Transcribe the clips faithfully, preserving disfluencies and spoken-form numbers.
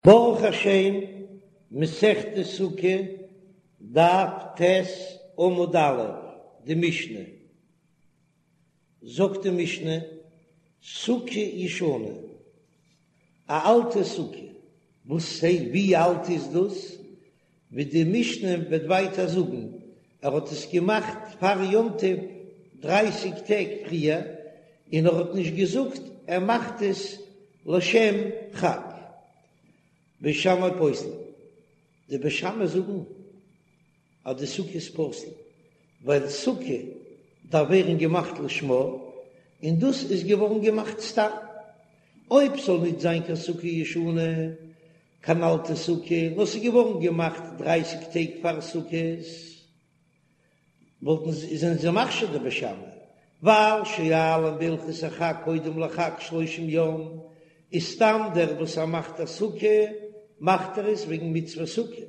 ברוך השם, מסכת סוכה, דף ט' עמוד א', די משנה. זאגט די משנה, סוכה ישנה, א אלטע סוכה, וואס הייסט ווי אלט איז דאס? ווי די משנה וועט ווייטער זאגן, ער האט עס געמאכט פאר יום טוב דרייסיג טעג פריער, און ער האט נישט געזאגט ער מאכט עס לשם חג. בית שמאי פוסלין, די בית שמאי זאגן אז די סוכה איז פסול, ווייל סוכה דארף ווערן געמאכט לשמה, און דאס איז געווארן געמאכט סתם. אויב ס'זאל נישט זיין קיין סוכה ישנה, קיין אלטע סוכה, נאר ס'איז געווארן געמאכט דרייסיג טעג פאר סוכות, וואלטן זיי, זענען זיי מכשיר די בית שמאי, ווייל שואלין בהלכות החג קודם לחג שלושים יום, איז סתם דער וואס ער מאכט א סוכה, מאכט ער עס וועגן מצוות סוכה,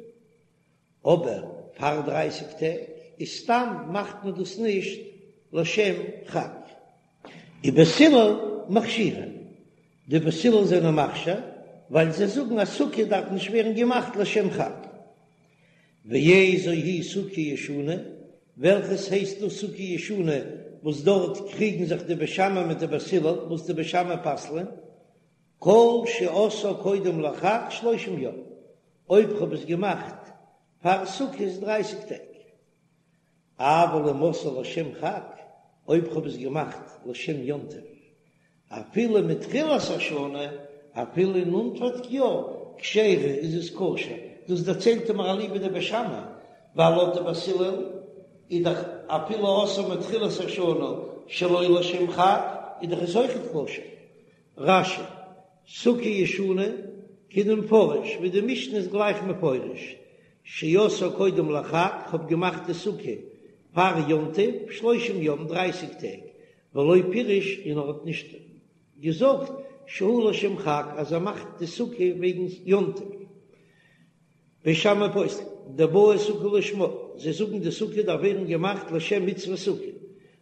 אבער פאר דרייסיג טעג איז סתם מאכט מען דאס נישט לשם חג. ובית הלל מכשירין, די בית הלל זענען מכשיר ווייל זיי זאגן אז סוכה דארף נישט ווערן געמאכט לשם חג. ואיזו היא סוכה ישנה, וועלכעס הייסט דאס סוכה ישנה וואס דארט קריגן זיך די בית שמאי מיט די בית הלל וואס די בית שמאי פסל'ען, כל שעשאה קודם לחג שלושים יום, אויב כ'האב עס געמאכט פאר סוכות דרייסיג טעג. אבל אם עשאה לשם חג, אויב כ'האב עס געמאכט לשם יום טוב, אפילו מתחילת השנה, אפילו אין אנפאנג יאר, כשרה איז עס כשר, דאס דערציילט מיר אליבא דבית שמאי, ווייל לויט די בית הלל איז דאך אפילו עשאה מתחילת השנה שלא לשם חג איז דאך עס אויכעט כשר. רש"י, סוכה ישנה, כדמפרש, ווי די משנה איז גלייך מפורש, שעשאה קודם לחג, כ'האב געמאכט די סוכה פאר יום טוב, שלושים יום, דרייסיג טעג, ולא פירש און ער האט נישט געזאגט שהוא לשם חג אז ער מאכט די סוכה וועגן יום טוב. בית שמאי פוסלין, דבעי סוכה לשמה, זיי זאגן די סוכה דארף ווערן געמאכט לשם מצוות סוכה,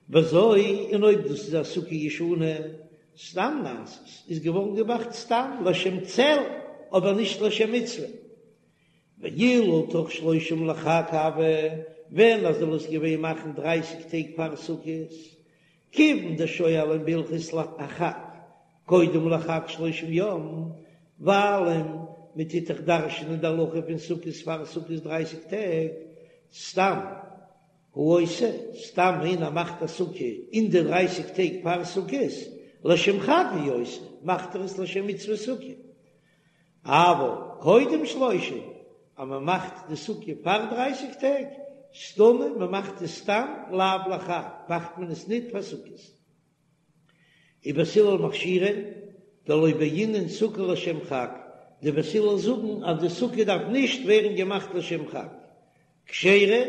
וזו, און אויב דאס איז א סוכה ישנה, סתם נעשית, איז געווארן געמאכט סתם לשם צל, אבער נישט לשם מצוה. ואילו תוך שלושים לחג הוה, ווען ער זאל עס געווען מאכן דרייסיג טעג פאר סוכות, כיוון דשואלין בהלכות החג קודם לחג שלושים יום, ווייל מען טוט דאך דרש'נען די הלכה פון סוכות פאר סוכות דרייסיג טעג, סתם הוא עושה, סתם איינער מאכט א סוכה אין די דרייסיג טעג פאר סוכות, לשם חג הוא עושה, מאכט ער עס לשם מצוות סוכה. אבל קודם שלושים, אז מען מאכט די סוכה פאר דרייסיג טעג, סתמא, מען מאכט עס סתם לאו לחג, מאכט מען עס ניט פאר סוכות. ובית הלל מכשירין, דלא בעינן סוכה לשם חג, די בית הלל זאגן אז די סוכה דארף נישט ווערן געמאכט לשם חג, כשרה,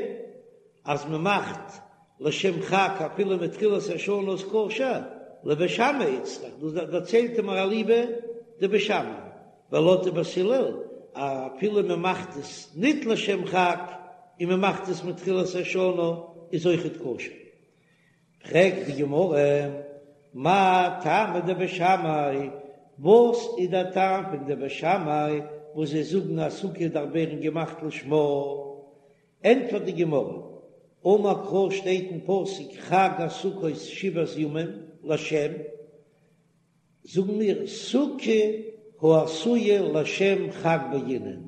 אז מען מאכט לשם חג אפילו מתחילת השנה איז כשר, לבית שמאי איצטריך, דאס דערציילט מיר אליבא דבית שמאי, ווייל לויט די בית הלל אפילו מען מאכט עס ניט לשם חג און מען מאכט עס מתחילת השנה איז אויכעט כשר. פרעגט די גמרא, מאי טעמא דבית שמאי, וואס איז דער טעם פון די בית שמאי וואס זיי זאגן אז סוכה דארף ווערן געמאכט לשמה? ענטפערט די גמרא, אמר קרא שטייט אין פסוק חג הסוכות שבעת ימים לשם, זאגן מיר סוכה העשויה לשם חג בעינן,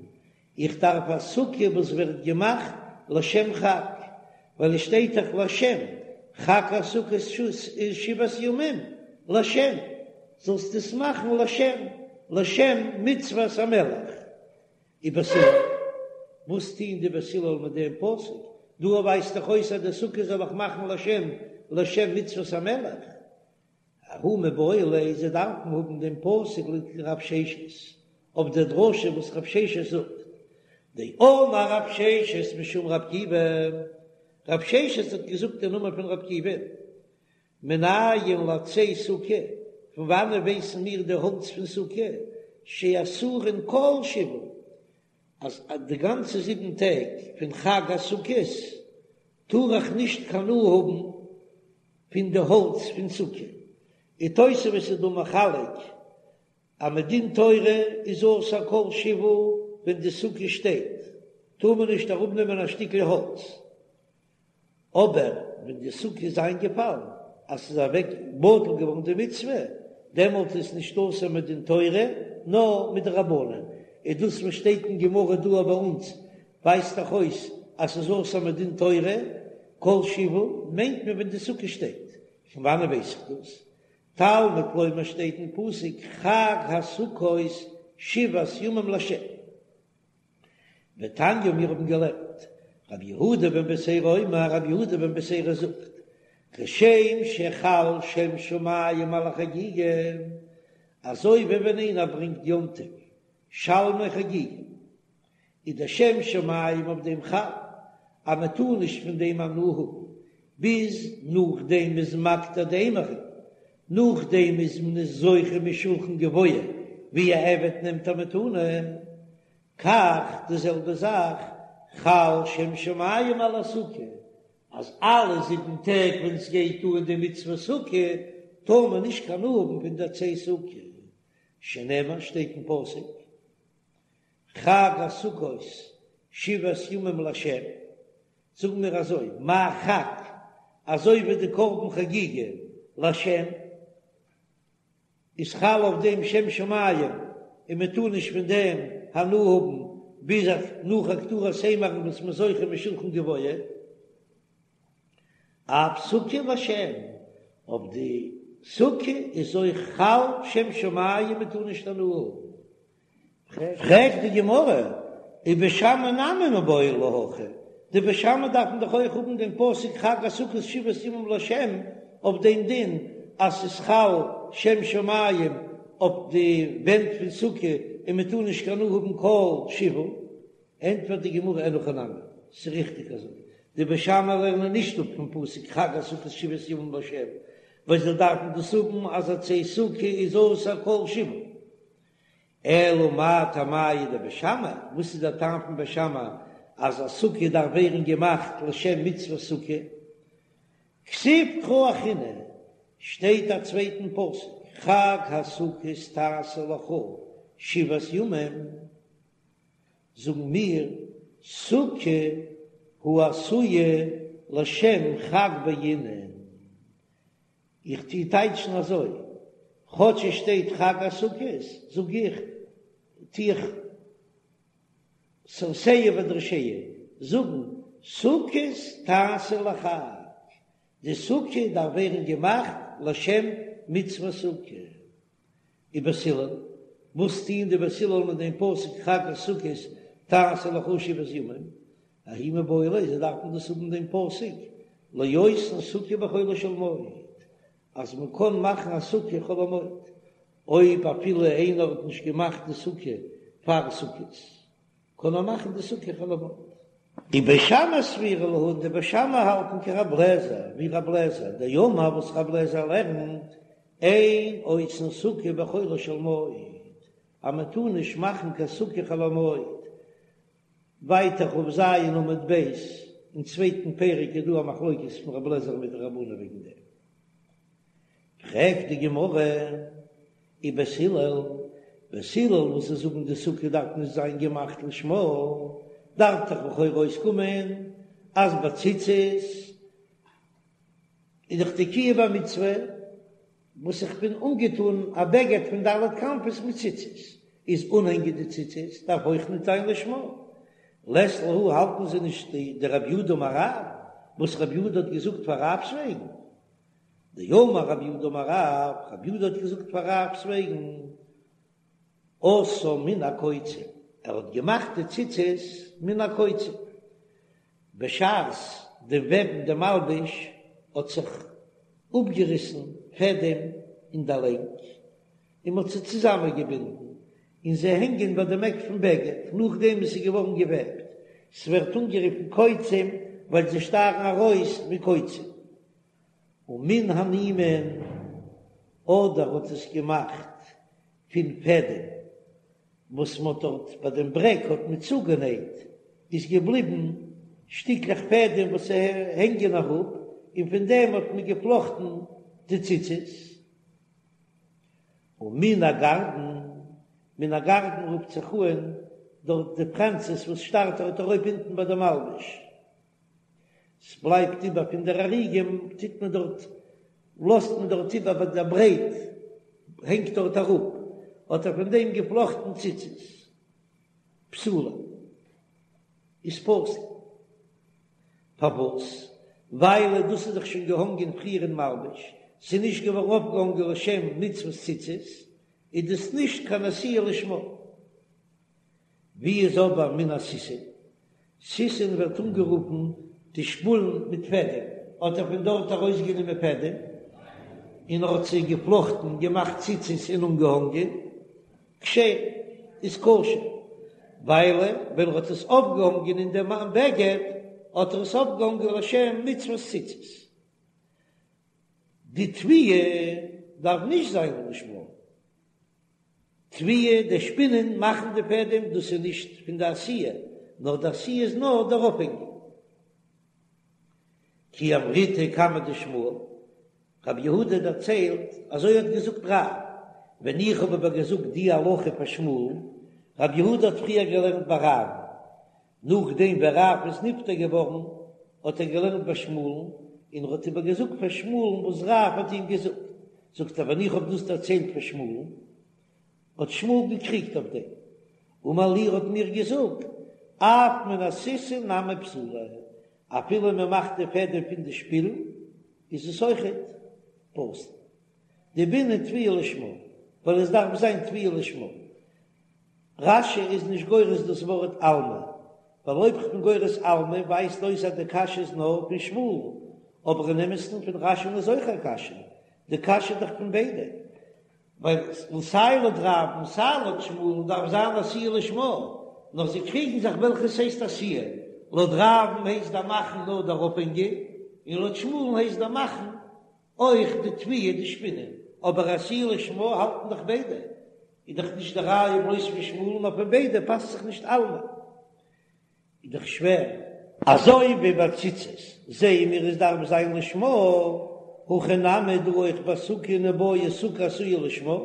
איך דארף א סוכה וואס ווערט געמאכט לשם חג, ווייל עס שטייט דאך לשם, חג הסוכות שבעת ימים לשם, זאלסט עס מאכן לשם, לשם מצוות המלך. ובית הלל, וואס טוען די בית הלל מיט דעם פסוק? דא ווייזט דאך אויס אז די סוכה זאל איך מאכן לשם, לשם מצוות המלך. ההוא מיבעי ליה, זיי דארפן האבן דעם פסוק לכדרב ששת, אויף דער דרשה וואס רב ששת זאגט, דאמר רב ששת משום רב עקיבא, רב ששת האט געזאגט אין נאמען פון רב עקיבא, מנין לעצי סוכה, פון וואנען ווייסן מיר די האלץ פון סוכה, שאסורין כל שבעה, אז די גאנצע זיבן טעג פון חג הסוכות טאר איך נישט קיין הנאה האבן פון די האלץ פון סוכה, און תוספות איז דא מחלק אז מדין תורה איז אסור כל שבעה ווען די סוכה שטייט, טאר מען נישט אראפנעמען א שטיקל האלץ, אבער ווען די סוכה איז איינגעפאלן אז ס'איז אוועק בטל געווארן די מצוה, דעמאלט איז נישט אסור מדין תורה נאר מדרבנן, איז דאס וואס שטייט אין גמרא דא ביי אונז ווייזט דאך אויס אז ס'איז אסור מדין תורה, כל שבעה מיינט מען ווען די סוכה שטייט, פון וואנען ווייס איך דאס? תלמוד לומר שטייט אין פסוק חג הסוכות שבעת ימים לה'. ותניא מיר האבן געלערנט, רבי יהודה בן בתירא אומר, רבי יהודה בן בתירא זאגט, כשם שחל שם שמים על החגיגה, אזוי ווי ווען איינער ברענגט יום טוב שלמי חגיגה, איז דער שם שמים אויף דעם חל, אז מען טאר נישט פון דעם הנאה האבן ביז נאכדעם מ'איז מקטיר די אימורין, נאכדעם איז מען עס זוכה משולחן גבוה ווי א עבד נעמט א מתנה, כך די זעלבע זאך חל שם שמים על הסוכה, אז אלע זיבן טעג ווען סגייט אן די מצוה סוכה טאר מען נישט קיין הנאה האבן פון די עצי סוכה, שנאמר שטייט אין פסוק חג הסוכות שבעת ימים לה', זאגן מיר אזוי, מה חג, אזוי ווי די קרבן חגיגה לה' איז חל אויף דעם שם שמים און מען טאר נישט פון דעם הנאה האבן ביז נאך הקטרת האימורין וואס מ'איז זוכה משולחן גבוה, אף סוכה לה', אויף די סוכה איז אויך חל שם שמים מען טאר נישט הנאה האבן. פרעגט די גמרא, ובית שמאי נמי מיבעי להו הכי, די בית שמאי דארפן דאך אויך האבן דעם פסוק חג הסוכות שבעת ימים לה' אויף דעם דין אז ס'איז חל שם שמים אויף די ווענט פון סוכה און מען טאר נישט קיין הנאה האבן כל שבעה, ענטפערט די גמרא אין הכי נמי, ס'איז ריכטיג אזוי, די בית שמאי לערנען נישט אפ פון פסוק חג הסוכות שבעת ימים לה' ווייל זיי דארפן דאס האבן אז עצי סוכה איז אסור כל שבעה. אלא מאי טעמייהו דבית שמאי, וואס איז דער טעם פון בית שמאי אז א סוכה דארף ווערן געמאכט לשם מצוות סוכה? כתיב קרא אחרינא, שטייט א צווייטן פסוק, חג הסוכות תעשה לך שבעת ימים, זאגן מיר, סוכה העשויה לשם חג בעינן, איך טוה טייטשן אזוי, כאטש עס שטייט חג הסוכות, זאג איך, טוה איך סרסיה ודרשיה, זאגן, סוכות תעשה לחג, די סוכה דארף ווערן געמאכט לשם מצוות סוכה. ובית הלל, וואס טוען די בית הלל מיט דעם פסוק חג הסוכות תעשה לך שבעת ימים? ההוא מיבעי ליה, זיי דארפן דאס האבן דעם פסוק לעושין סוכה בחולו של מועד, אז מען קען מאכן א סוכה חול המועד, אויב אפילו איינער האט נישט געמאכט די סוכה פאר סוכות, קען ער מאכן די סוכה חול המועד. ובית שמאי סבירא להו, די בית שמאי האלטן כרב לעזער, ווי רב לעזער, דאמר וואס רב לעזער לערנט, אין עושין סוכה בחולו של מועד, אז מען טאר נישט מאכן קיין סוכה חול המועד, ווייטער כ"ז עמוד ב', אין צווייטן פרק איז דא א מחלוקת פון רב לעזער מיט די רבנן וועגן דעם. פרעגט די גמרא, ובית הלל, בית הלל וואס זיי זאגן די סוכה דארף נישט זיין געמאכט לשמה, דארף דאך לכאורה אויסקומען אז ביי ציצית איז דאך די קיום המצוה וואס איך בין אנגעטון א בגד פון ד' כנפות מיט ציצית, איז אנהענגען די ציצית דארף אויך ניט זיין לשמה. לית להו האלטן זיי נישט דרב יהודה אמר רב, וואס רב יהודה האט געזאגט פאר רב'ס וועגן. דאמר רב יהודה אמר רב, רב יהודה האט געזאגט פאר רב'ס וועגן, עשאן מן הקוצים, ער האט געמאכט די ציצית מן הקוצים, בשעת דעם וועבן די מלבוש האט זיך אפגעריסן פעדעם אין די לענג, און מ'האט זיי צוזאמענגעבינדן, און זיי הענגען ביי דעם עק פון בגד, נאכדעם וואס ס'איז געווארן געוועבט. ס'ווערט אנגערופן קוצים ווייל זיי שטארן ארויס ווי קוצים. ומן הנימין, אדער האט עס געמאכט פון פעדעם וואס מ'האט דארט ביי דעם ברעק האט מען צוגענייט, איז געבליבן שטיקלעך פעדעם וואס הענגען אראפ, און פון דעם האט מען געפלאכטן די ציצית. ומן הגרדין, מן הגרדין רופט זיך אן דארט די פרענצעס וואס שטארט דארט ארויף אונטן ביי די מלבוש, ס'בלייבט איבער פון דער אריגה טוט מען דארט לאזט מען דארט איבער ביי דער ברייט הענגט דארט אראפ, האט ער פון דעם געפלאכטן ציצית פסולה איז פסול. פארוואס? ווייל דאס איז דאך שוין געהאנגען פריער אין מלבוש, ס'איז נישט געווארן אויפגעהאנגען לשם מצוות ציצית, איז דאס נישט קיין עשיה לשמה. ווי איז אבער מן הסיסין? סיסין ווערט אנגערופן די שפולן מיט פעדעם, האט ער פון דארט ארויסגענומען פעדעם און ער האט זיי געפלאכטן, געמאכט ציצית און אנגעהאנגען. כשרה איז כשר, ווייל ווען ער האט עס אויפגעהאנגען אין דעם בגד האט ער עס אויפגעהאנגען לשם מצוות ציצית. די טוויה דארף נישט זיין לשמה, טוויה, די שפינען מאכן די פעדעם, דאס איז נישט פון די עשיה, נאר די עשיה איז נאר דער אויפהענגען. כי אמריתה קמיה דשמואל, רב יהודה דערציילט, אזוי האט געזאגט רב, ווען איך האב אבער געזאגט די הלכה פאר שמואל, רב יהודה האט פריער געלערנט ביי רב, נאכדעם ווען רב איז נפטר געווארן האט ער געלערנט ביי שמואל'ן, און ער האט איבער געזאגט פאר שמואל'ן וואס רב האט אים געזאגט, זאגט ער ווען איך האב דאס דערציילט פאר שמואל'ן, האט שמואל געקריגט אויף דעם, אמר לי האט מיר געזאגט, אף מן הסיסין נמי פסולה, אפילו מען מאכט די פעדעם פון די שפילן איז עס אויכעט פסול. דבעינן טוויה לשמה, ווייל עס דארף זיין טוויה לשמה. רש"י איז נישט גורס דאס ווארט אלמא, ווייל אויב כ'בין גורס אלמא ווייזט אויס אז די קשיא איז נאר פון שמואל, אבער אין אמת'ן פון רש"י'ן איז אויך א קשיא, די קשיא איז דאך פון ביידע. ווייל סיי לויט רב און סיי לויט שמואל דארף זיין עשיה לשמה, נאר זיי קריגן זיך וועלכעס הייסט עשיה, לויט רב'ן הייסט דער מאכן נאר דער אויפהענגען, און לויט שמואל'ן הייסט דער מאכן אויך די טוויה די שפינען, אבער עשיה לשמה האלטן דאך ביידע, איז דאך נישט די ראיה בלויז פון שמואל'ן נאר פון ביידע פאסט זיך נישט אלמא. איז דאך שווער. אזוי ווי ביי ציצית זעען מיר עס דארף זיין לשמה, הכא נמי דא אויך ביי סוכה ניבעי סוכה עשויה לשמה,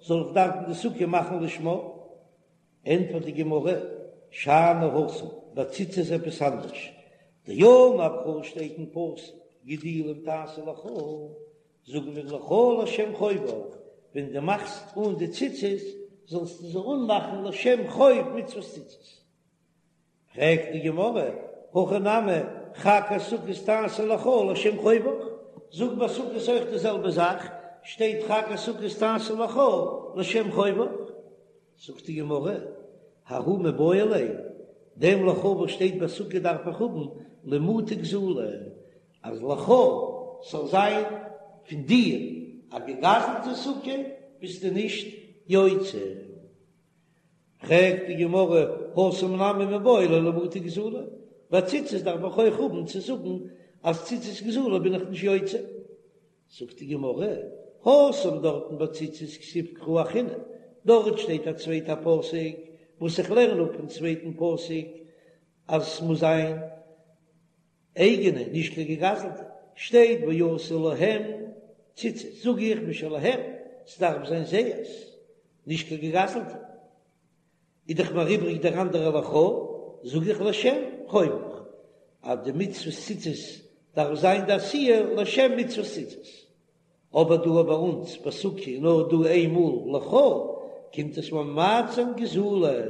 זאל איך דארפן די סוכה מאכן לשמה? ענטפערט די גמרא, שאני התם, ביי ציצית איז עפעס אנדערש, דאמר קרא שטייט אין פסוק גדילים תעשה לך, זאגן מיר לך לשם חובך, ווען דו מאכסט אן די ציצית זאלסטו זיי אנמאכן לשם חוב מצוות ציצית. פרעגט די גמרא, הכא נמי, חג הסוכות תעשה לך לשם חובך, זאג ביי סוכות אויך די זעלבע זאך, שטייט חג הסוכות תעשה לך לשם חובך, זאגט די גמרא, ההוא מיבעי ליה, דעם לך וואס שטייט ביי סוכה דארף איך האבן למעוטי גזולה, אז לך זאל זיין פון דיר א געגזלטע סוכה ביסטו נישט יוצא. פרעגט די גמרא, התם נמי מיבעי ליה למעוטי גזולה, ביי ציצית דארף איך אויך האבן צו זאגן אז ציצית גזולה בין איך נישט יוצא. זאגט די גמרא, התם דארטן ביי ציצית כתיב קרא אחרינא, דארט שטייט א צווייטע פסוק וואס איך לערן אפ פון צווייטן פסוק אז ס'מוז זיין אייגענע, נישט קיין געגזלטע, שטייט ועשו להם ציצית, זאג איך משלהם, ס'דארף זיין זייערס, נישט קיין געגזלטע. איז דאך מיר איבריג דער אנדערע לך, זאג איך לשם חובך, אז די מצוות ציצית דארף זיין די עשיה לשם מצוות ציצית. אבער דא ביי אונז ביי סוכה איז נאר דא איין מאל לך, קומט עס ממעט זיין גזולה,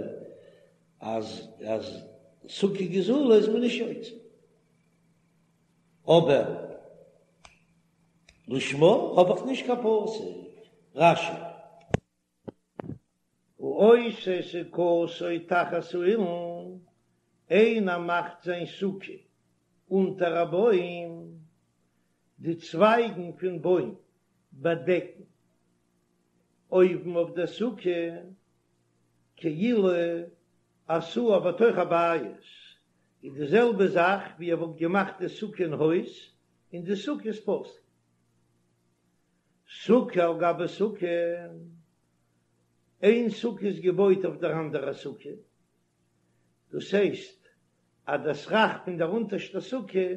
אז אז סוכה גזולה איז מען נישט יוצא. אבער לשמה האב איך נישט קיין פסוק. רש"י. העושה סוכתו תחת האילן, איינער מאכט זיין סוכה אונטער א בוים, די צווייגן פון בוים באדעקן אויבן אויף דער סוכה, כאילו עשאה בתוך הבית, איז די זעלבע זאך ווי ער וואלט געמאכט די סוכה אין הויז, און די סוכה איז פסול. סוכה על גבי סוכה, איין סוכה איז געבויט אויף דער אנדערע סוכה, דאס הייסט אז דער סכך פון דער אונטערשטער סוכה,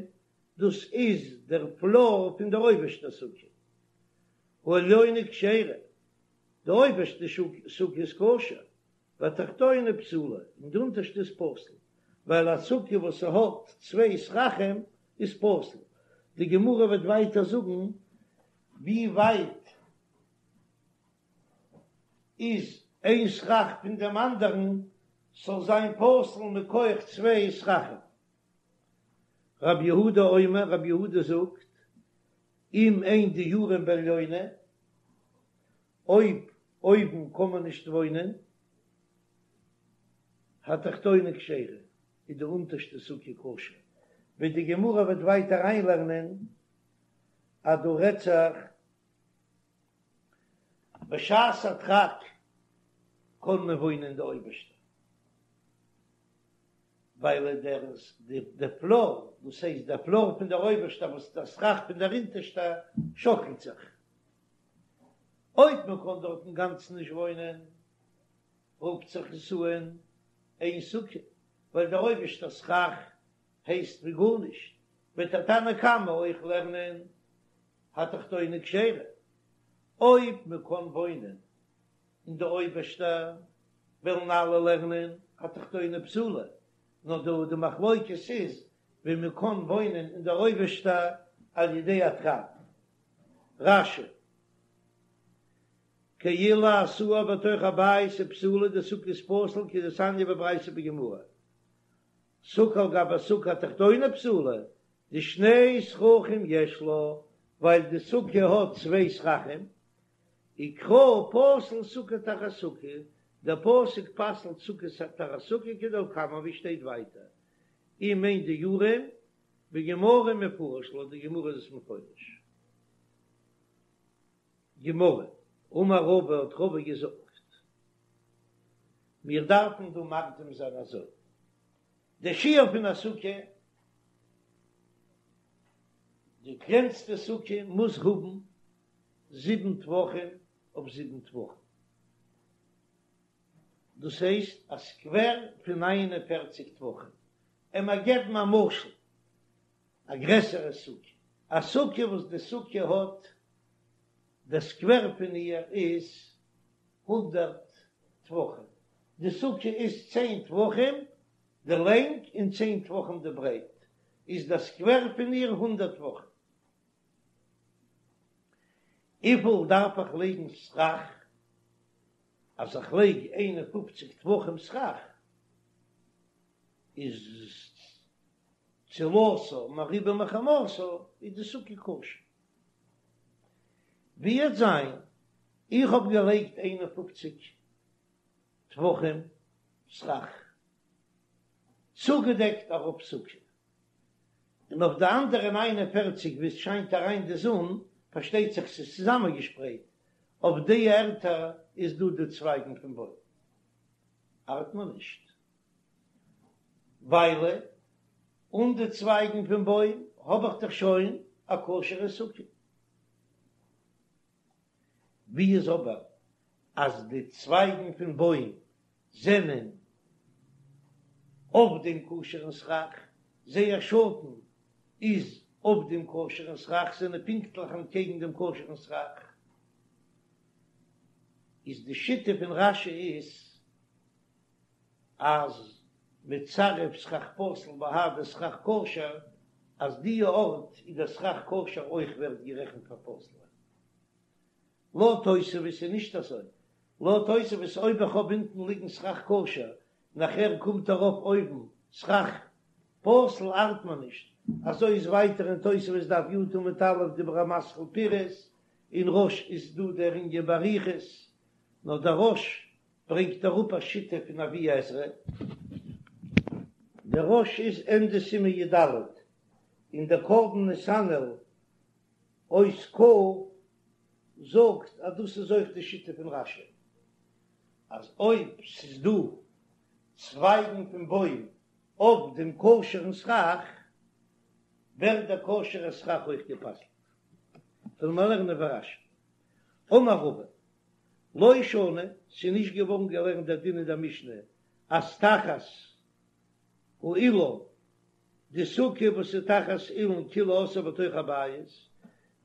דאס איז דער פלאר פון דער אויבערשטער סוכה. העליונה כשרה, די אויבערשטע סוכה איז כשר, והתחתונה פסולה, און די אונטערשטע איז פסול, ווייל א סוכה וואס ס'האט צוויי סככים איז פסול. די גמרא וועט ווייטער זאגן ווי ווייט איז איין סכך פון דעם אנדערן ס'זאל זיין פסול מכח צוויי סככים. רב יהודה אומר, רב יהודה זאגט, אם אין דיורין בעליונה, אויב אויבן קען מען נישט וואוינען, התחתונה כשרה, איז די אונטערשטע סוכה כשר, ווי די גמרא וועט ווייטער אריינלערנען אז דא רעדט זיך בשעת הדחק קען מען וואוינען אין די אויבערשטע, ווייל דער דער פלאר, דאס הייסט דער פלאר פון דער אויבערשטער וואס דער סכך פון דער אונטערשטע שאקלט זיך, אויב מען קען דארט אינגאנצן נישט וואוינען, רופט זיך עס אן איין סוכה, ווייל דער אויבערשטער סכך הייסט ווי גארנישט, וועט דער תנא קמא אויך לערנען התחתונה כשרה, אויב מען קען וואוינען אין די אויבערשטע וועלן אלע לערנען התחתונה פסולה, נאר דא די מחלוקת איז ווי מען קען וואוינען אין דער אויבערשטע על ידי הדחק. רש"י, כאילו עשאה בתוך הבית ופסולה די סוכה איז פסול כדתניא בברייתא בגמרא, סוכה על גבי סוכה התחתונה פסולה, דשני סככים יש לה, ווייל די סוכה האט צוויי סככים, וקרא פסל סוכה תחת סוכה, דער פסוק פסל'ט סוכה תחת סוכה כדלקמן ווי שטייט ווייטער, אם אין דיורין, בגמרא מפרש לויט די גמרא איז עס מפורש. גמרא, אמר רבא האט רבא געזאגט, מיר דארפן דא מקדים זיין אזוי, די שיעור פון א סוכה, די קלענסטע סוכה מוז האבן זיבן טפחים אויף זיבן טפחים, דאס הייסט א סקווער פון נײַן און פֿערציק טפחים, עמער געבן א משל, א גרעסערע סוכה, א סוכה וואס די סוכה האט, די סקווער פון איר איז הונדערט טפחים, די סוכה איז צען טפחים די לענג און צען טפחים די ברייט, איז די סקווער פון איר הונדערט טפחים. וויפיל דארף איך לייגן סכך? אז איך לייג איין און פופציג טפחים סכך איז צילתה מרובה מחמתה איז די סוכה כשר. ווי וועט זיין איך האב געלייגט איין און פופציג טפחים סכך צוגעדעקט א רוב סוכה און אויף די אנדערע נײַן און פֿערציק וואו עס שיינט אריין די זון, פארשטייט זיך ס'איז צוזאמענגעשפרייט, אויף די ערטער איז דא די צווייגן פון בוים, ארט מיר נישט, ווייל אן די צווייגן פון בוים האב איך דאך שוין א כשר'ע סוכה. ווי איז אבער אז די צווייגן פון בוים זענען אויף דעם כשר'ן סכך, זייער שאטן איז אויף דעם כשר'ן סכך, זענען פונקטליך אנטקעגן דעם כשר'ן סכך, איז די שיטה פון רש"י איז אז מצרף סכך פסול בהדי סכך כשר, אז די ארט איז דער סכך כשר אויך ווערט גערעכנט פאר פסול. לויט תוספות איז נישט אזוי, לויט תוספות אויב איך האב אונטן ליגן סכך כשר, נאכער קומט ארויף אויבן סכך פסול ארט מיר נישט, אזוי איז ווייטער אין תוספות דף י' עמוד א' דיבור המתחיל פירש, אין רא"ש איז דא דער ענין באריכות, נאר דער רא"ש ברענגט אראפ א שיטה פון אבי עזרא, דער רא"ש איז ענדע סימן י"ד, און דער קרבן נתנאל אות כ זאגט אז דאס איז אויך די שיטה פון רש"י, אז אויב ס'איז דא צווייגן פון בוים אויף דעם כשר'ן סכך, ווערט דער כשר'ער סכך אויך גע'פסל'ט. וועלן מיר לערנען ווי רש"י. אמר רבא, לא שנו, ס'איז נישט געווארן געלערנט דער דין אין דער משנה אז תחת האילן, די סוכה וואס איז תחת אילן כאילו עשאה בתוך הבית,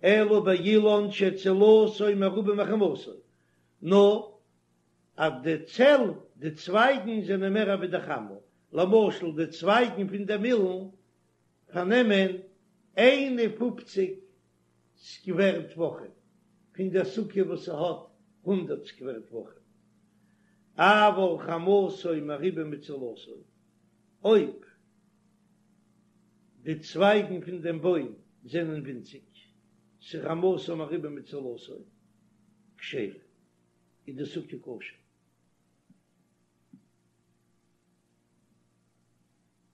אלא באילן שצילתו מרובה מחמתו, נאר אז די צל, די צווייגן זענען מער ווי די חמה, למשל די צווייגן פון דעם אילן פארנעמען איין און פופציג סקווער טפחים פון דער סוכה וואס ס'האט הונדערט סקווער טפחים, אבל חמתו מרובה מצלתו, אויב די צווייגן פון דעם בוים זענען ווינציג, ס'חמתו מרובה מצלתו, כשרה, איז די סוכה כשר.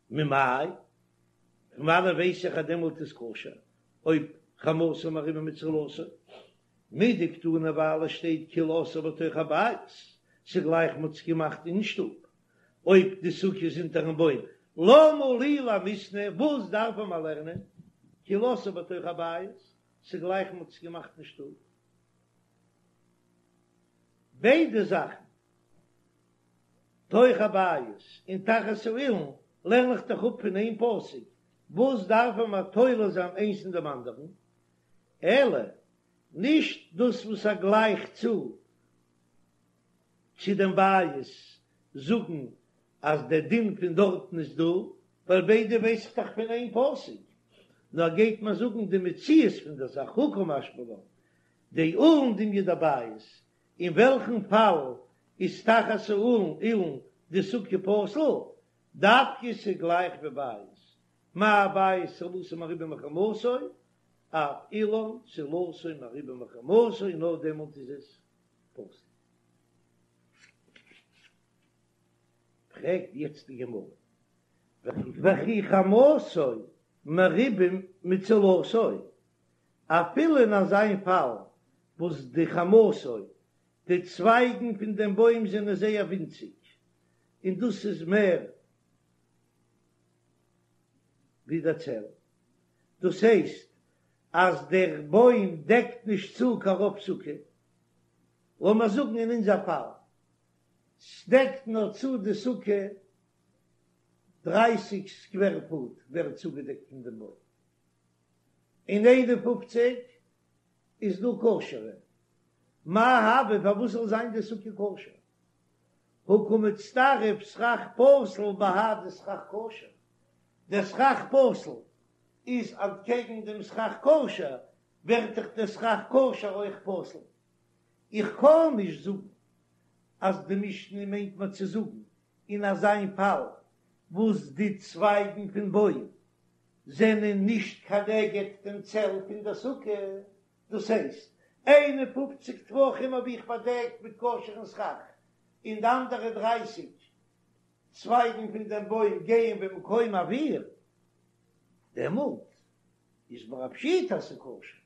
ממאי? פון וואנען ווייס איך אז דעמאלט איז כשר אויב חמתו מרובה מצלתו? מדקתני ווייל עס שטייט כאילו עשאה בתוך הבית, ס'גלייך מ'האט עס געמאכט אין שטוב, אויב די סוכה איז אונטערן בוים, למה לי למיתנא, וואס דארף מען לערנען כאילו עשאה בתוך הבית, ס'גלייך מ'האט עס געמאכט אין שטוב. ביידע זאכן תוך הבית און תחת האילן לערן איך דאך אפ פון איין פסוק, וואס דארף מען תולה זיין איינס אין דעם אנדערן? אלא נישט דאס וואס ער גלייכט צו צו דעם בית זאגן אז דער דין פון דארטן איז דא, ווייל ביידע ווייס איך דאך פון איין פסוק, נאר גייט מען זאגן די מציאות פון דער זאך, הא קא משמע לן דאילן דומיא דבית, אין וועלכן פאל איז תחת האילן אילן די סוכה פסול? דווקא ס'גלייך ווי בית, מה בית צלתו מרובה מחמתו, אף אילן צלתו מרובה מחמתו, נאר דעמאלט איז עס פסול. פרעגט יעצט די גמרא, וכי חמתו מרובה מצלתו, אפילו אין אזא פאל וואס די חמתו, די צווייגן פון דעם בוים זענען זייער ווינציג, און דאס איז מער ווי דער צל, דאס הייסט אז דער בוים דעקט נישט צו קיין רוב סוכה, לאמיר זאגן אין אונזער פאל, ס'דעקט נאר צו די סוכה דרײַסיק סקווער פוט ווערט צוגעדעקט פון דעם בוים. און איין און פופציג איז דא כשר'ע. מאי הוי פארוואס זאל זיין די סוכה כשר? הא קא מצטרף סכך פסול בהדי סכך כשר, דער סכך פסול איז אנטקעגן דעם סכך כשר, ווערט דאך דער סכך כשר אויך פסול. איך קען נישט זאגן אז די משנה מיינט מיר צו זאגן אין אזיין פאל וואס די צווייגן פון בוים זענען נישט כנגד דעם צל פון דער סוכה, דאס הייסט, איין און פופציג טפחים האב איך באדעקט מיט כשר'ן סכך, און די אנדערע דרייסיג צווייגן פון דעם בוים גייען במקום אוויר, דעמאלט איז מיר א פשיטא אז ס'איז כשר.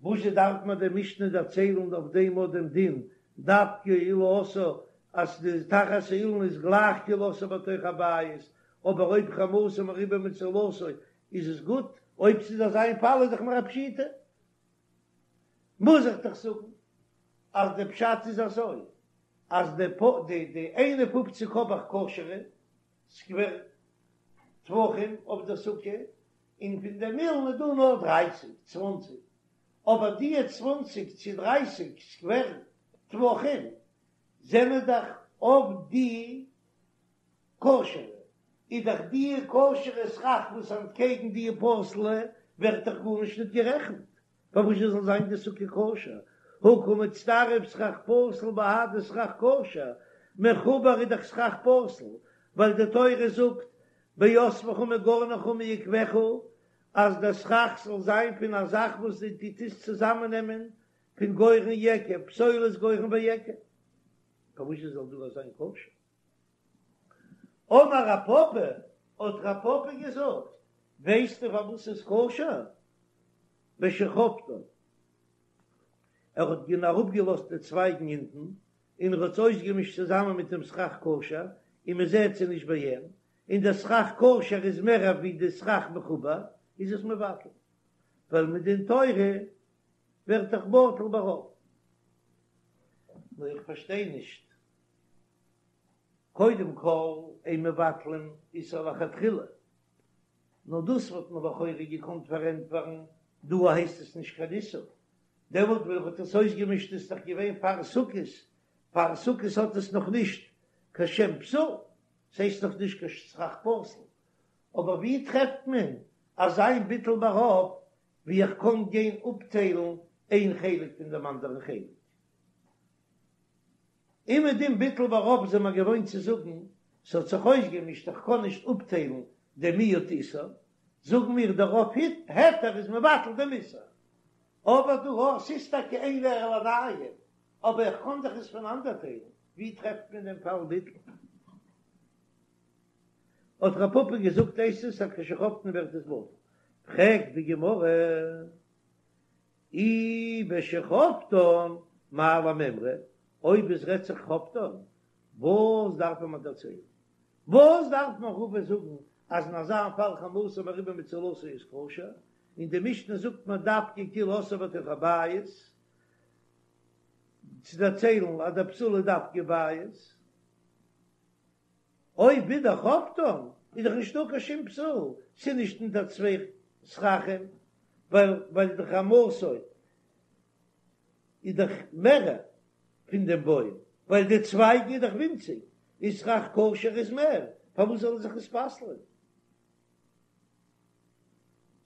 וואזשע דארף מיר די משנה דערציילן אויף דעם אט דעם דין דווקא אילו עשאה אז די תחת האילן איז גלייך כאילו עשאה בתוך הבית, אבער אויב חמתו מרובה מצלתו איז עס גוט, אויב ס'איז אזא איין פאל איז דאך מיר א פשיטא. מוז איך דאך זאגן אז די פשט איז אזוי אז די די איין און פופציג האב איך כשר'ע סקווער טפחים אויף די סוכה, און פון דעם אילן איז דא נאר דרייסיג, צוואנציג, אבער דיע צוואנציג צו דרייסיג סקווער טפחים זענען דאך אויף די כשר'ע, איז דאך דיע כשר'ע סכך וואס אנטקעגן דיע פסול'ע ווערט דאך גארנישט ניט גערעכנט, פארוואס זאל זיין די סוכה כשר? הא קא מצטרף סכך פסול בהדי סכך כשר, מחובר איז דאך סכך פסול, ווייל די תורה זאגט באספך מגרנך ומיקבך אז דער סכך זאל זיין פון א זאך וואס דו טוסט צוזאמען נעמען פון גורן ויקב, פסולת גורן ויקב, פארוואס זאל דא זיין כשר? אמר רב פפא, האט רב פפא געזאגט, ווייסטו פארוואס ס'איז כשר? בשחבטן, ער האט גענ אראפגעלאזט די צווייגן אונטן, און ער האט עס אויסגעמישט צוזאמען מיט דעם סכך כשר, און מען זעט זיי נישט בעין, און דער סכך כשר איז מער ווי די סכך מחובר, איז עס מבטל, ווייל מדין תורה ווערט דאך בטל ברוב. נו איך פארשטיי נישט. קודם כל אין מבטלין איסור לכתחילה, נאר דאס וואלט מען לכאורה געקאנט פארענטפערן, דא הייסט עס נישט קיין איסור, דעמאלט ווען ער האט עס אויסגעמישט איז דאך געווען פאר סוכות, פאר סוכות האט עס נאך נישט קיין שם פסול, ס'הייסט נאך נישט קיין סכך פסול, אבער ווי טרעפט מען אזא מין ביטול ברוב ווי איך קען גיין אפטיילן איין חלק פון דעם אנדערן חלק? אומעדום ביטול ברוב זענען מיר געוואוינט צו זאגן, ס'האט זיך אויסגעמישט איך קען נישט אפטיילן דעם מיעוט איסור, זאגן מיר דער רוב היתר איז מבטל דעם איסור, אבער דא אויך, ס'איז טאקע אין ער לעיניים, אבער איך קען דאך עס פונאנדערטיילן, ווי טרעפט מען דעם פאל ביטול? האט רב פפא געזאגט הייסט עס אז כשחבטן ווערט עס בטל, פרעגט די גמרא, אי בשחבטן מאי למימרא, אויב עס רעדט זיך חבטן, וואס דארף מען מיר דערציילן? וואס דארף מיר רבא זאגן אז אין אזא פאל חמתו מרובה מצלתו איז כשר, און די משנה זאגט מיר דווקא כאילו עשאה בתוך הבית, צו דערציילן אז דער פסול איז דווקא בית. אויב ווידער חבטן איז דאך נישטא קיין שום פסול, ס'איז נישט אונטער צוויי סככים, ווייל ווייל די חמתו איז דאך מערער פון דעם בוים, ווייל די צווייגן איז דאך ווינציג, און סכך כשר איז מער, פארוואס זאל ער זיך עס פסל'ען?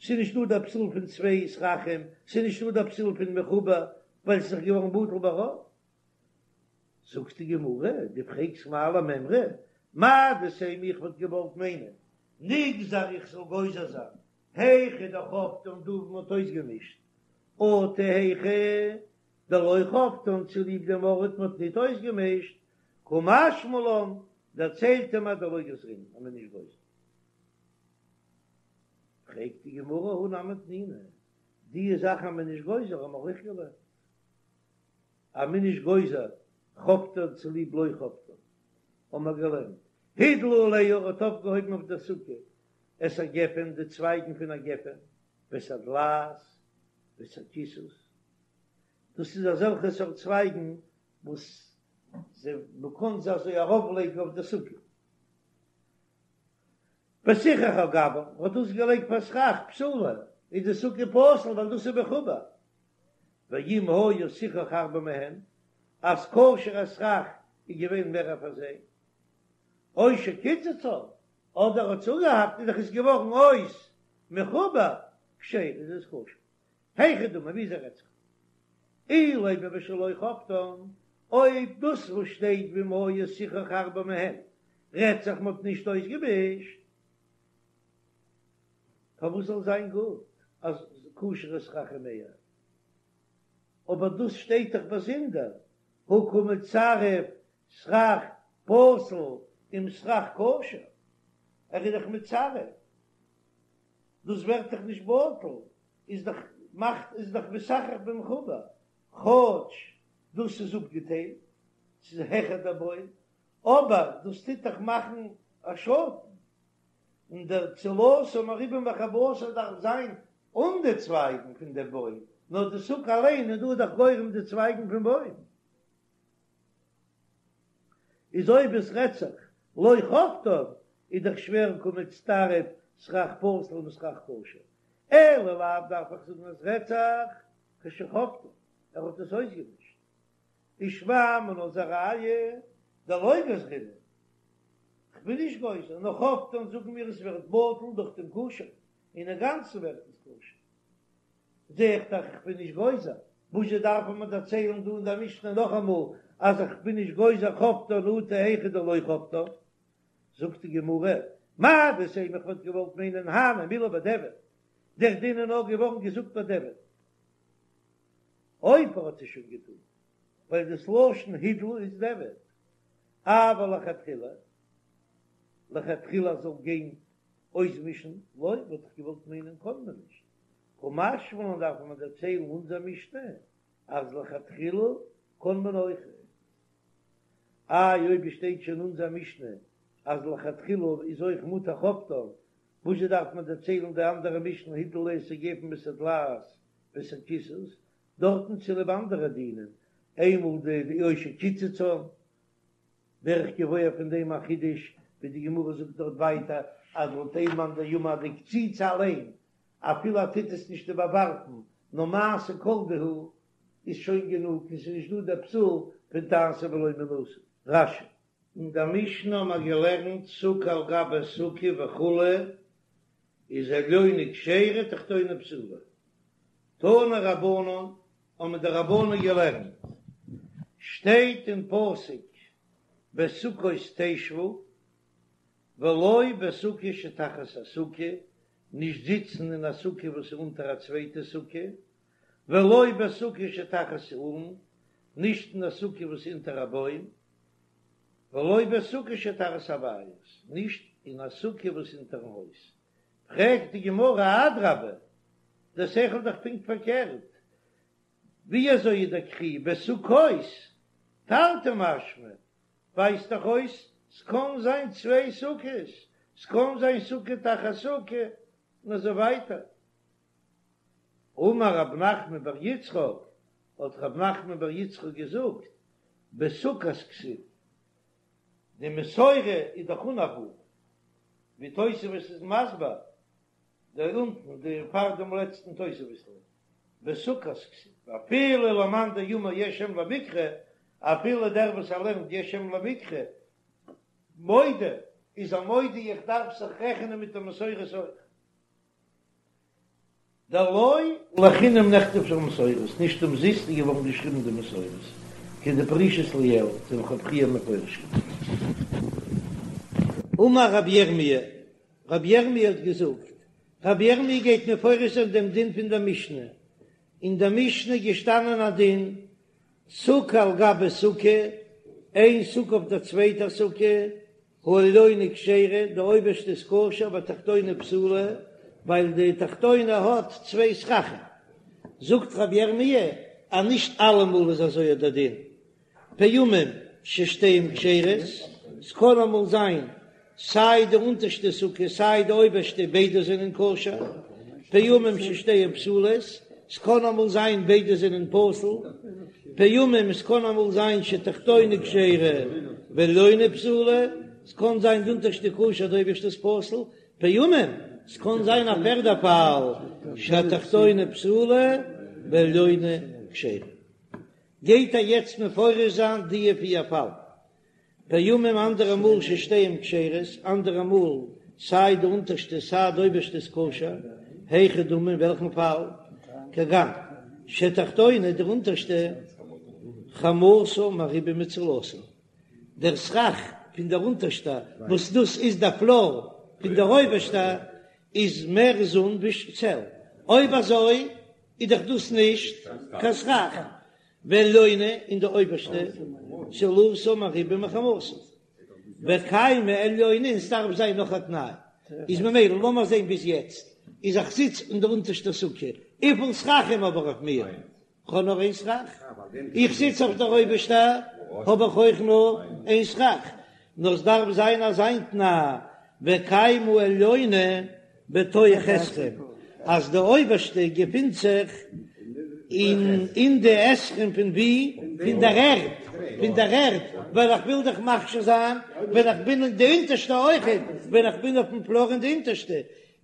ס'איז נישטא דער פסול פון צוויי סככים, ס'איז נישטא דער פסול פון מחובר, ווייל ס'איז דאך געווארן בטל ברוב. זאגט די גמרא, דו פרעגסט מאי למימרא, מהו דתימא איך וואלט געוואלט מיינען, נגזר איך זאל גוזר זיין, היכא דחבטן דא וואו מ'האט אויסגעמישט, אטו היכא דלא חבטן צוליב דעם ארט מ'האט ניט אויסגעמישט, קא משמע לן, דערציילט ער מיר דלא גזרינן אז מ'איז נישט גוזר. פרעגט די גמרא הא נמי תנינא, די זאך אז מ'איז נישט גוזר האבן מיר אויך געלערנט. אז מ'איז נישט גוזר חבטן צוליב לא חבטן, האבן מיר געלערנט, הדלה עליה האט אויפגעהויבן אויף דער סוכה את הגפן די צווייגן פון א גפן, ואת הדלעת ואת הקיסוס, דאס איז אזעלכע סארט צווייגן וואס זיי מ'קען זיי אזוי ארויפלייגן אויף דער סוכה. וסיכך על גבה, האט דאס געלייגט פאר סכך פסולה, איז די סוכה פסול ווייל דאס איז מחובר. ואם היה סיכוך הרבה מהן, אז כשר'ע סכך איז געווען מער פאר זיי, או שקיצצן, אדער האט צוגעהאקט איז דאך עס געווארן אויס מחובר, כשרה איז עס כשר. היכי דמי ווי אזוי רעדט זיך אילימא בשלא חבטן, אויב דאס וואס שטייט ואם היה סיכוך הרבה מהן רעדט זיך מ'האט נישט אויסגעמישט, פארוואס זאל זיין גוט אז כשר'ע סכך איז מער? אבער דאס שטייט דאך באזונדער, הא קא מצרף סכך פסול עם סכך כשר, ער איז דאך מצרף. דאס ווערט דאך נישט בטל, איז דאך מאכט איז דאך מסכך במחובר, כאטש דאס איז אפגעטיילט, ס'איז העכער דער בוים, אבער דאס טוט דאך מאכן א שאטן, און דער צלתה מרובה מחמתה דארף זיין אן די צווייגן פון דעם בוים, נאר די סוכה אליין איז דא דאך גורם די צווייגן פון בוים. איז אויב עס רעדט זיך לא חבטן איז דאך שווער קא מצטרף סכך פסול עם סכך כשר, אלא לאו דארף איך זאגן אז רעדט זיך כשחבטן ער האט עס אויסגעמישט, ושמע מינה איז א ראיה דלא גזרינן, כ'בין נישט גוזר, נאר חבטן זאגן מיר עס ווערט בטל דורך דעם כשר, און אינגאנצן ווערט עס כשר. זע איך דאך איך בין נישט גוזר, וואזשע דארף מען דערציילן דא אין דער משנה נאכאמאל אז איך בין נישט גוזר חבטן אטו היכא דלא חבטן? זאגט די גמרא, מהו דתימא איך וואלט געוואלט מיינען הני מילי בדיעבד, דער דין איז נאר געווארן געזאגט בדיעבד אויב ער האט עס שוין געטון, ווייל דאס לשון הדלה איז דיעבד, אבל לכתחילה, לכתחילה זאל גיין אויסמישן, לא, וואלט איך געוואלט מיינען קען מען נישט, קא משמע לן דארף מען דערציילן אונזער משנה אז לכתחילה קען מען אויך. איי אויב עס שטייט שוין אונזער משנה אז לכתחילה איז אויך מותר חבטן, וואזשע דארף מען דערציילן די אנדערע משנה הדלה עליה את הגפן ואת הדלעת ואת הקיסוס, דארטן צוליב אנדערע דינים, איינמאל די או שקיצצן ווער איך געוואויר פון דעם א חידוש, ווי די גמרא זאגט דארט ווייטער אז לויט איין מאן דאמר די קציצה אליין אפילו ער טוט עס נישט איבערווארפן נאר מעשה כל דהו איז שוין גענוג און ס'איז נישט דא דער פסול פון פון תעשה ולא מן העשוי. רש"י. אין דער משנה האבן מיר געלערנט סוכה על גבי סוכה וכו' איז עליונה כשרה תחתונה פסולה. תנו רבנן האבן די רבנן געלערנט, שטייט אין פסוק בסוכות תשבו ולא בסוכה שתחת הסוכה, נישט זיצן אין א סוכה וואס איז אונטער א צווייטע סוכה, ולא בסוכה שתחת האילן, נישט אין א סוכה וואס איז אונטער א בוים, ולא בסוכה שתחת הבית, נישט אין א סוכה וואס איז אונטערן הויז. פרעגט די גמרא, אדרבה, דער שכל איז דאך פונקט פארקערט, ווי אזוי איז דער קרי בסוכות תרתי משמע, ווייזט דאך אויס ס'קען זיין צוויי סוכות, ס'קען זיין סוכה תחת סוכה, און אזוי ווייטער. אמר רב נחמן בר יצחק, האט רב נחמן בר יצחק געזאגט, בסוכת כתיב, די מסורה איז דאך אן א ו', ווי תוספות איז מסביר, דא אונטן די פאר דעם לעצטן תוספות'ל, בסוכת כתיב, ואפילו למאן דאמר יש אם למקרא, אפילו דער וואס ער לערנט יש אם למקרא, מודה, איז ער מודה איך דארף זיך רעכענען מיט די מסורת אויך. דלא לחינם נכתבו המסורות, נישט אומזיסט איז געווארן געשריבן די מסורות, כדפרישית לעיל, ווי איך האב פריער מפרש געווען. אמר רבי ירמי', רבי ירמי' האט געזאגט, רבי ירמי' גייט מפרש זיין דעם דין פון דער משנה, אין דער משנה איז געשטאנען א דין, סוכה על גבי סוכה, איין סוכה אויף דער צווייטער סוכה, העליונה כשרה, די אויבערשטע איז כשר והתחתונה פסולה, ווייל די תחתונה האט צוויי סככים. זאגט רבי ירמי' אז נישט אלעמאל איז אזוי דער דין, פעמים ששתיהן כשרות, ס'קען אמאל זיין סיי די אונטערשטע סוכה סיי די אויבערשטע ביידע זענען כשר, פעמים ששתיהן פסולות, ס'קען אמאל זיין ביידע זענען פסול, פעמים ס'קען אמאל זיין שתחתונה כשרה ועליונה פסולה, ס'קען זיין די אונטערשטע כשר די אויבערשטע איז פסול, פעמים ס'קען זיין א פערדע פאל שתחתונה פסולה ועליונה כשרה. גייט ער יעצט מפרש זיין די פיר פאלן. פעמים אנדערע מאל ששתיהן כשרות, אנדערע מאל סיי די אונטערשטע סיי די אויבערשטע איז כשר, היכי דמי אין וועלכן פאל? כגון שתחתונה די אונטערשטע חמתה מרובה מצלתה, דער סכך פון דער אונטערשטע וואס דאס איז דער פלאר פון דער אויבערשטע איז מער זון ווי צל, אויב אזוי איז דאך דאס נישט קיין סכך, ועליונה און די אויבערשטע צלתה מרובה מחמתה וקיימא עליונה און ס'דארף זיין נאך א תנאי איז ממילא לאמיר זעהן ביז יעצט איז איך זיץ אין די אונטערשטע סוכה וויפיל סככים האב איך אויף מיר? כ'האב נאר איין סכך איך זיץ אויף דער אויבערשטע האב איך אויך נאר איין סכך נאר ס'דארף זיין אזא תנאי וקיימא עליונה בתוך עשרים, אז די אויבערשטע געפינט זיך אין אין די עשרים פון ווי? פון דער ערד, פון דער ערד, ווייל איך וויל דאך מכשיר זיין ווען איך בין אין די אונטערשטע אויכעט, ווען איך בין אויפן פלאר אין די אונטערשטע,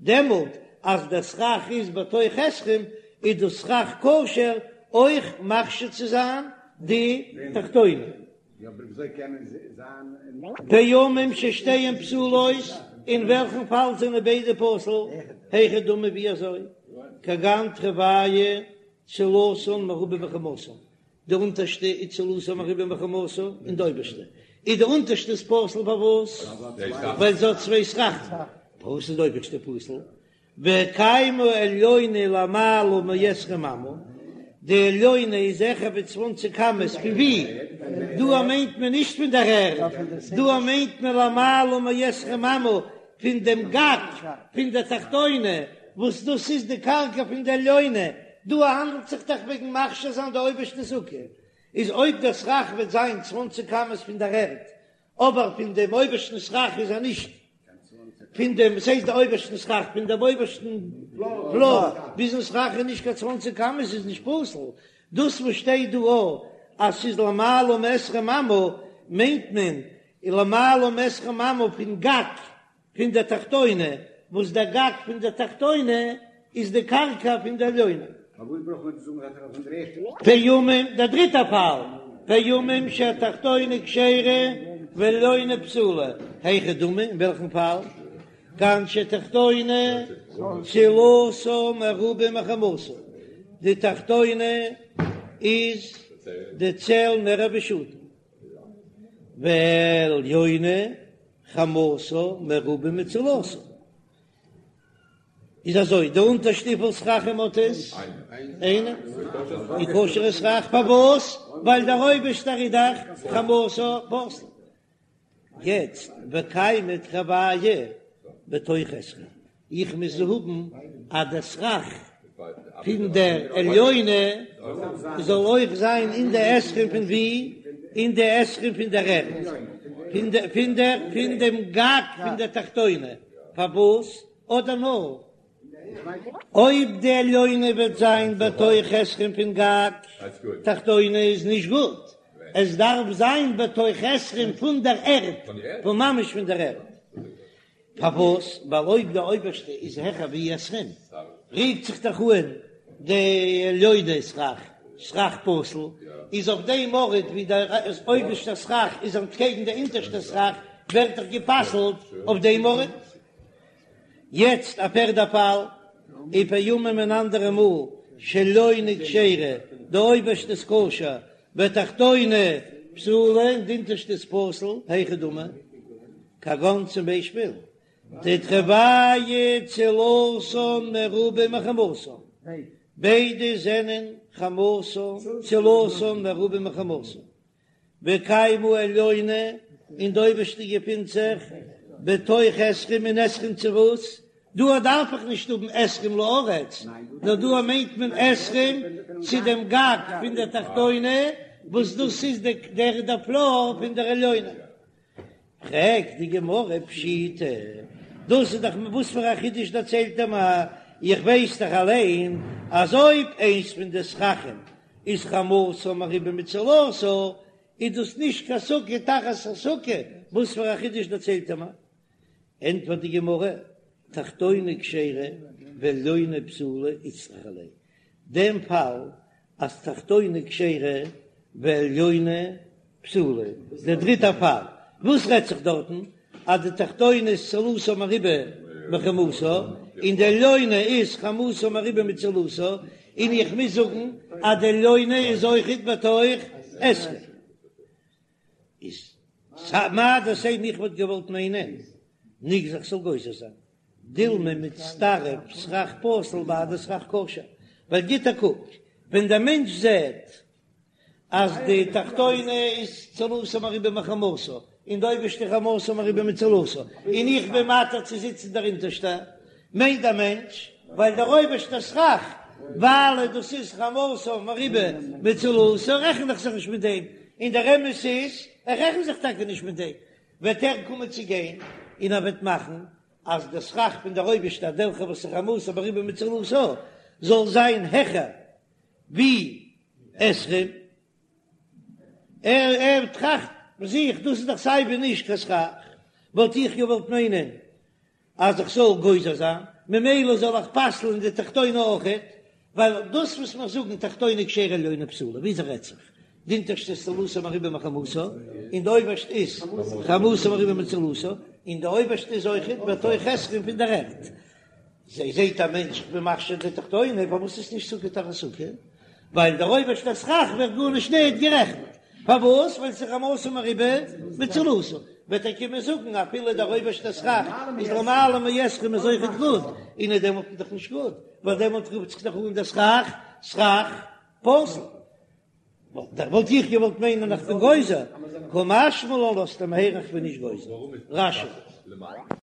דעמאלט אז דער סכך איז בתוך עשרים איז דאס סכך כשר אויך מכשיר צו זיין די תחתונה. פעמים ששתיהן פסולות, אין וועלכן פאל זענען ביידע פסול? היכי דמי ווי אזוי? כגון תרוייהו צילתן מרובה מחמתן, די אונטערשטע איז צילתן מרובה מחמתן און די אויבערשטע איז די אונטערשטע איז פסול פארוואס? ווייל זי האט צוויי סככים, פארוואס איז די אויבערשטע פסול? וקיימא עליונה למעלה מעשרים אמה, די עליונה איז העכער ווי צוואנציג אמות, פון ווי? דא מיינט מען נישט פון דער ערד, דא מיינט מען למעלה מעשרים אמה פון דעם גג פון דער תחתונה, וואס דאס איז די קרקע פון די עליונה, דא האנדלט זיך דאך וועגן מכשיר זיין די אויבערשטע סוכה, איז אויב דער סכך וועט זיין צוואנציג אמות פון דער ערד, אבער פון דעם אויבערשטן סכך איז ער נישט פון דעם, וואס הייסט די אויבערשטן סכך? פון דעם אויבערשטן פלאר ביזן סכך איז נישט קיין צוואנציג אמות איז נישט פסול, דאס וואס שטייט דא א אז ס'איז למעלה מעשרים אמה מיינט מען למעלה מעשרים אמה פון גג פון דער תחתונה, וואס דער גג פון דער תחתונה איז די קרקע פון דער עליונה. פארוואס ברויך מען זאגן אז ער איז פון דער ערשטער? פעמים, דער דריטער פאל, פעמים שהתחתונה כשרה והעליונה פסולה, היכי דמי, אין וועלכן פאל? כגון שתחתונה צילתה מרובה מחמתה, די תחתונה איז די צל מער ווי שאטן, והעליונה חמתה מרובה מצילתה. איז אזוי, די אונטערשטע וויפיל סככים האט עס? איינע. די כשר'ע סכך פארוואס? ווייל דער אויבערשטער איז דאך חמתה פסול. יעצט וקיימי תרוייהו בתוך עשרים, איך מוז האבן אז דער סכך פון דער עליונה זאל אויך זיין אין די עשרים פון ווי? אין די עשרים פון דער ערד, פון דער פון דער פון דעם גג פון דער תחתונה, פארוואס? אדער נאר אויב די עליונה וועט זיין בתוך עשרים פון גג תחתונה איז נישט גוט, עס דארף זיין בתוך עשרים פון דער ערד, פון ממש פון דער ערד. פארוואס? ווייל אויב די אויבערשטע איז העכער ווי עשרים, רופט זיך דאך אן די עליונה סכך, סכך פסול, איז אויף דעם ארט ווי דער אויבערשטער סכך איז אנטקעגן די אונטערשטע סכך, ווערט דאך גע'פסל'ט אויף דעם ארט. יעצט א פערדע פאל, ופעמים אן אנדערע מאל, שעליונה כשרה, די אויבערשטע איז כשר, ותחתונה פסולה, און די אונטערשטע איז פסול, היכי דמי, כגון צום ביישפיל, דתרוייהו צילתן מרובה מחמתן, ביידע זענען חמתן, צילתן מרובה מחמתן, וקיימא עליונה, און די אויבערשטע געפינט זיך בתוך עשרים אין עשרים צו וואס? דא דארף איך נישט האבן עשרים לארץ, נאר דא מיינט מען עשרים צו דעם גג פון דער תחתונה, וואס דאס איז דער דער פלאר פון דער עליונה. פרעגט די גמרא פשיטא, דאס איז דאך וואס פאר א חידוש דערציילט ער מיר, איך ווייס דאך אליין אז אויב איינס פון די סככים איז חמתה מרובה מצילתה, איז דאס נישט קיין סוכה תחת הסוכה, וואס פאר א חידוש דערציילט ער מיר? ענטפערט די גמרא, תחתונה כשרה ועליונה פסולה איצטריכא ליה, דעם פאל אז תחתונה כשרה ועליונה פסולה, דער דריטער פאל, וואס רעדט זיך דארטן? אז די תחתונה איז צילתה מרובה מחמתה, און די עליונה איז חמתה מרובה מצילתה, און איך מוז זאגן אז די עליונה איז אויכעט בתוך עשרים. איז מהו דתימא איך וואלט געוואלט מיינען ניגזור איך זאל גוזר זיין דילמא מצטרף סכך פסול בהדי סכך כשר, ווייל גיט א קוק ווען דער מענטש זעט אז די תחתונה איז צילתה מרובה מחמתה און די אויבערשטע חמתה מרובה מצילתה און איך בין מתיר צו זיצן דער אונטערשטע, מיינט דער מענטש ווייל דער אויבערשטער סכך ווייל דאס איז חמתה מרובה מצילתה רעכן איך זיך נישט מיט דעם, און דער אמת איז איך רעכן זיך טאקע נישט מיט דעם, וועט ער קומען צו גיין און ער וועט מאכן אז דער סכך פון דער אויבערשטער וועלכע וואס איז חמתה מרובה מצילתה זאל זיין העכער ווי עשרים, ער ער טראכט ביי זיך דאס איז דאך סיי ווי נישט קיין סכך, וואלט איך געוואלט מיינען אז איך זאל גוזר זיין, ממילא זאל איך פסל'ן די תחתונה אויכעט, ווייל דאס וואס מיר זאגן תחתונה כשרה עליונה פסולה, וויאזוי רעדט זיך? די אונטערשטע איז צילתה מרובה מחמתה, און די אויבערשטע איז חמתה מרובה מצילתה, און די אויבערשטע איז אויכעט בתוך עשרים פון דער ערד. זי זעט א מענטש איך בין מכשיר די תחתונה, פארוואס איז נישט סוכה תחת סוכה? ווייל דער אויבערשטער סכך ווערט גארנישט נישט גערעכנט, פארוואס? ווייל ס'איז חמתה מרובה מצילתה, וועט ער קומען זאגן אפילו דער אויבערשטער סכך איז למעלה מעשרים איז אויכעט גוט, און איז דעמאלט דאך נישט גוט, ווייל דעמאלט רופט זיך דאך אן דער סכך סכך פסול. וואלט איך געוואלט מיינען איך בין גוזר, קא משמע לן לאזט ער מיר הערן איך בין נישט גוזר. רש"י.